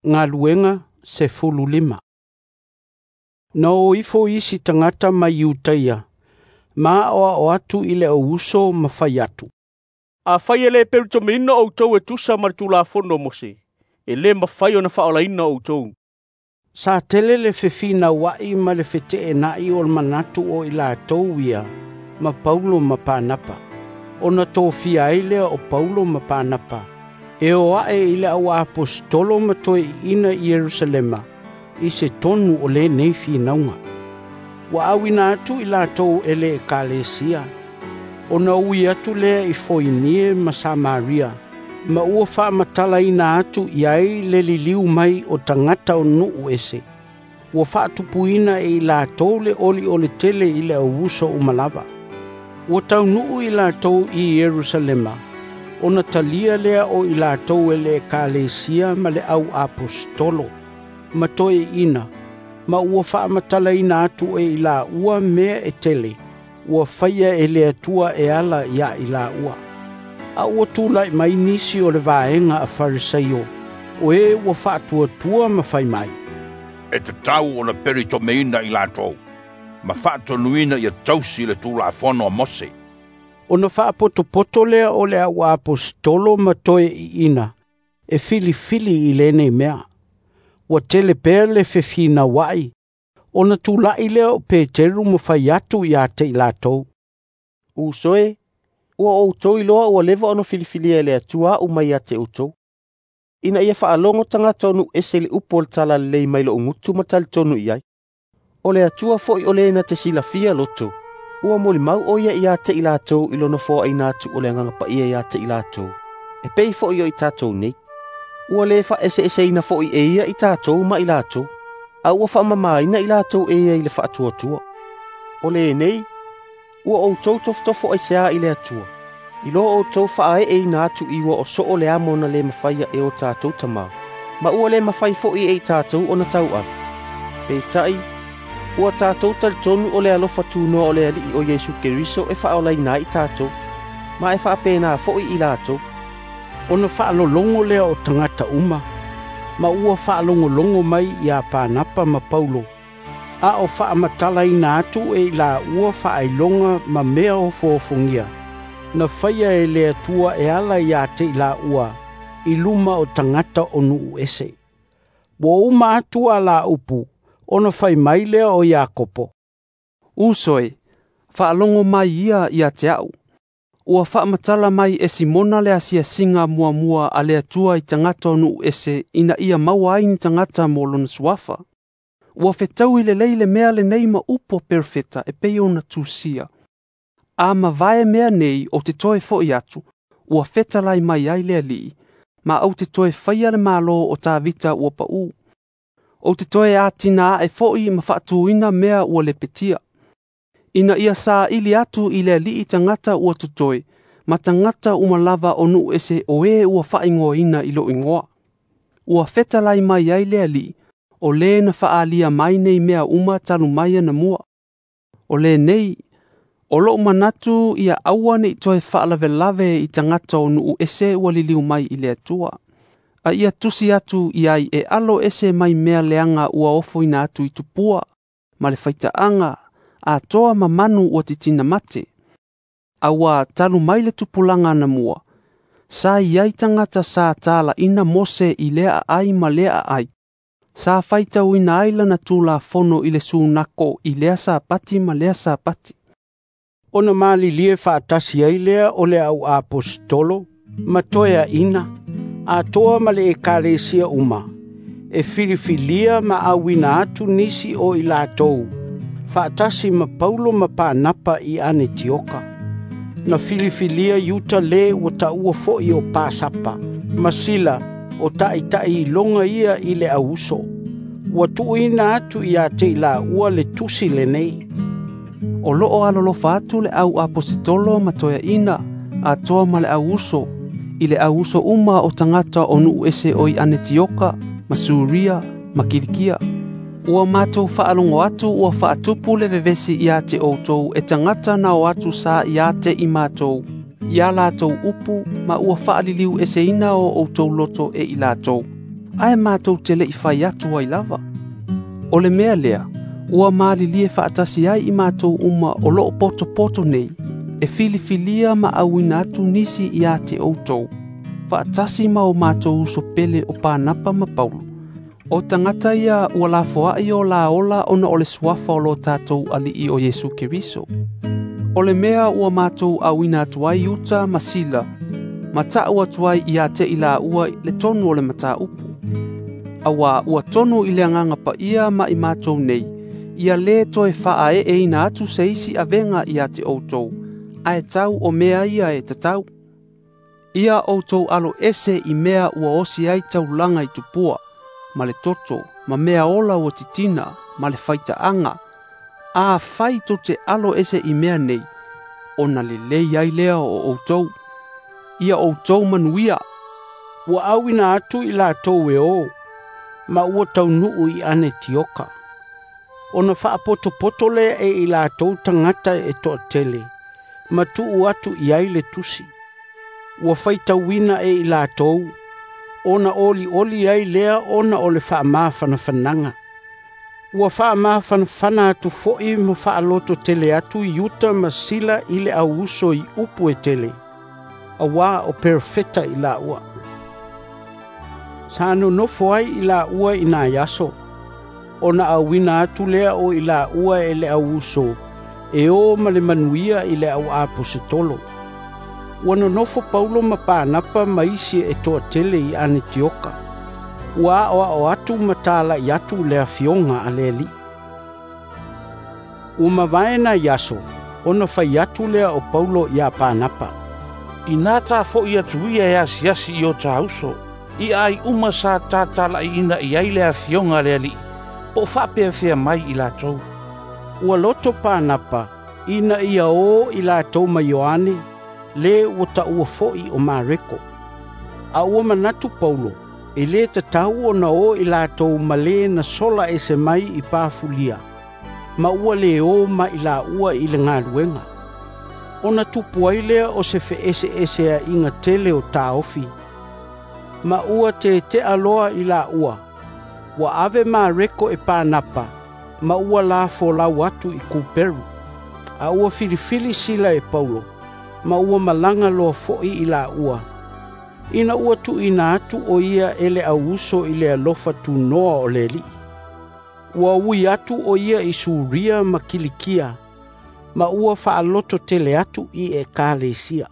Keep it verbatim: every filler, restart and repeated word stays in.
Galuega sefulu lima. Na o ifo isi tagata mai Iutaia, ma aoao atu i le au uso ma fai atu, "Afai e le pelitomiina outou e tusa ma le Tulafono a Mose, e le mafai ona faaolaina outou." Sa tele le fefinauai ma le feteenai o manatu o i latou ia ma Paulo ma Panapa, ona tofia ai lea o Paulo ma Panapa e o ae i le au aposetolo ma toeaiina i Ierusalema i se tonu o lenei finauga. Ua auina atu i latou e le ekalesia, ona ui atu lea i Foinie ma Samaria, ma ua faamatalaina atu i ai le liliu mai o tagata o nuu ese. Ua faatupuina e i latou le olioli tele i le au uso uma lava. Ua taunuu i latou i Ierusalema, ona talia lea o i latou e le ekalesia ma le au aposetolo, ma toeaiina, ma ua faamatalaina atu e i laua mea e tele, ua faia e le Atua e ala ia i laua. A ua tulai mai nisi o le vaega a Farisaio, o e ua faatuatua ma fai mai, "E tatau ona pelitomiina i latou, ma faatonuina ia tausi le Tulafono a Mose." Ona faapotopoto lea o le au aposetolo ma toeaiina e filifili i lenei mea. Ua tele pea le fefinauai, ona tulai lea o Peteru ma fai atu ia te i latou, "Uso e, ua outou iloa ua leva ona filifilia e le Atua a'u mai ia te outou, ina ia faalogo tagata o nuu ese i le upu o le Talalelei mai lo'u gutu ma talitonu i ai. O le Atua foi o le na te silafia loto, ua molimau o ia ia te i latou i lona foaina atu o le Agaga Paia ia te i latou, e pei foi o i tatou nei. Ua le faaeseeseina foi e ia i tatou ma i latou, a ua faamamaina i latou e ia i le faatuatua. O lenei, ua outou tofotofo aisea i le Atua, i lo outou faaeeina atu i ua o soo le amo na le mafaia e o tatou tamā, ma ua le mafai foi e i tatou ona tauave. Peitai, ua tatou talitonu o le alofa tunoa o le Alii o Iesu Keriso e faaolaina ai i tatou, ma e faapena foi i latou." Ona faalologo lea o tagata uma, ma ua faalogologo mai ia Panapa ma Paulo, a o faamatalaina atu e i laua faailoga ma mea ofoofogia, na faia e le Atua e ala ia te i laua i luma o tagata o nuu ese. Ua uma atu a la upu, ona fai mai lea o Iakopo, "Uso e, faalogo mai ia ia te a'u. Ua faamatala mai e Simona le asiasiga muamua a le Atua i tagata o nuu ese ina ia maua ai ni tagata mo lona suafa. Ua fetaui lelei le mea lenei ma upu a perofeta e pei ona tusia. A mavae mea nei ou te toe fo'i atu, ua fetalai mai ai le Alii, ma ou te toe faia le malo o Tavita ua pa'ū. Ou te toe atina ae fo'i ma faatuina mea ua lepetia, ina ia saili atu i le Alii tagata ua totoe, ma tagata uma lava o nuu ese o e ua faaigoaina i lou igoa. Ua fetalai mai ai le Alii, o le na faaalia mai nei mea uma talu mai anamua. O lenei, o lou manatu ia aua nei toe faalavelave i tagata o nuu ese ua liliu mai i le Atua. A ia tusi atu i ai e alo ese mai mea leaga ua ofoina atu i tupua, ma le faitaaga, atoa ma manu ua titina mate. Aua talu mai le tupulaga anamua, sa i ai tagata sa talaina Mose i lea aai ma lea aai, sa faitauina ai lana Tulafono i le sunako i lea Sapati ma lea Sapati." Ona malilie faatasi ai lea o le au aposetolo ma toeaiina, atoa ma le ekalesia uma, e filifilia ma auina atu nisi o i latou, faatasi ma Paulo ma Panapa i Anetioka. Na filifilia Iuta le ua taua foi o Pasapa, ma Sila o ta'ita'i iloga ia i le au uso. Ua tuuina atu ia te i laua le tusi lenei, "O loo alolofa atu le au aposetolo ma toeaiina, atoa ma le au uso, i le au uso uma o tagata o nuu ese o i Anetioka, ma Suria, ma Kilikia. Ua matou faalogo atu ua faatupu le vevesi ia te outou e tagata na o atu sa ia te i matou, ia latou upu ma ua faaliliu eseina o outou loto e i latou. ae matou te le'i fai atu ai lava. O le mea lea, ua malilie faatasi ai i matou uma o loo potopoto nei, e filifilia ma auina atu nisi ia te outou, faatasi ma o matou uso pele o Panapa ma Paulo. O tagata ia ua lafoai o la ola ona o le suafa o lo tatou alii o Iesu Keriso. O le mea ua matou auina atu ai Iuta ma Sila, ma ta'u atu ai ia te i laua le tonu o le mataupu. Auā ua tonu i le agaga paia ma i matou nei, ia lē toe faaeeina atu se isi avega ia te outou, ae tau o mea ia e tatau. Ia outou alo ese i mea ua osi ai taulaga i tupua, ma le toto, ma mea ola ua titina, ma le faitaaga. A fai tou te alo ese i mea nei, ona lelei ai lea o outou. Ia outou manuia. Ua auina atu i latou e o, ma ua taunuu i Anetioka. Ona faapotopoto lea e i latou tagata e toatele, ma tuu atu i ai le tusi. Ua faitauina e i latou, ona olioli ai lea ona o le faamafanafanaga. Ua faamafanafana atu fo'i ma faaloto tele atu Iuta ma Sila i le auuso i upu e tele, auā o perofeta i laua. Sa nonofo ai i laua i nai aso, ona auina atu lea o i laua e le auuso, e o ma le manuia i le au aposetolo. Ua nonofo Paulo ma Panapa ma isi e toatele i Anetioka. Ua aoao atu ma tala'i atu le afioga a le Alii. Ua mavae nai aso, ona fai atu lea o Paulo iā Panapa. Inā tafo'i atu ia e asiasi i o tā uso, i ai uma sa tatala'iina i ai le afioga a le Alii, po o faapeafea mai i latou. Ua loto Panapa, ina ia o i latou ma Ioane, le ua taua fo'i o Mareko. A ua manatu Paulo, e lē tatau ona o i latou ma lē na sola ese mai i Pafulia, ma ua lē o ma i laua i le galuega. Ona tupu ai lea o se feeseeseaʻiga tele o taofi, ma ua tete'a loa i laua. Ua ave Mareko e Panapa, ma ua lafolau atu i Kuperu. A ua filifili Sila e Paulo, ma ua malaga loa fo'i i laua. Ina ua tuuina atu o ia e le auuso i le alofa tunoa o le Alii. Ua ui atu o ia i Suria ma Kilikia, ma ua faaloto tele atu i ekalesia.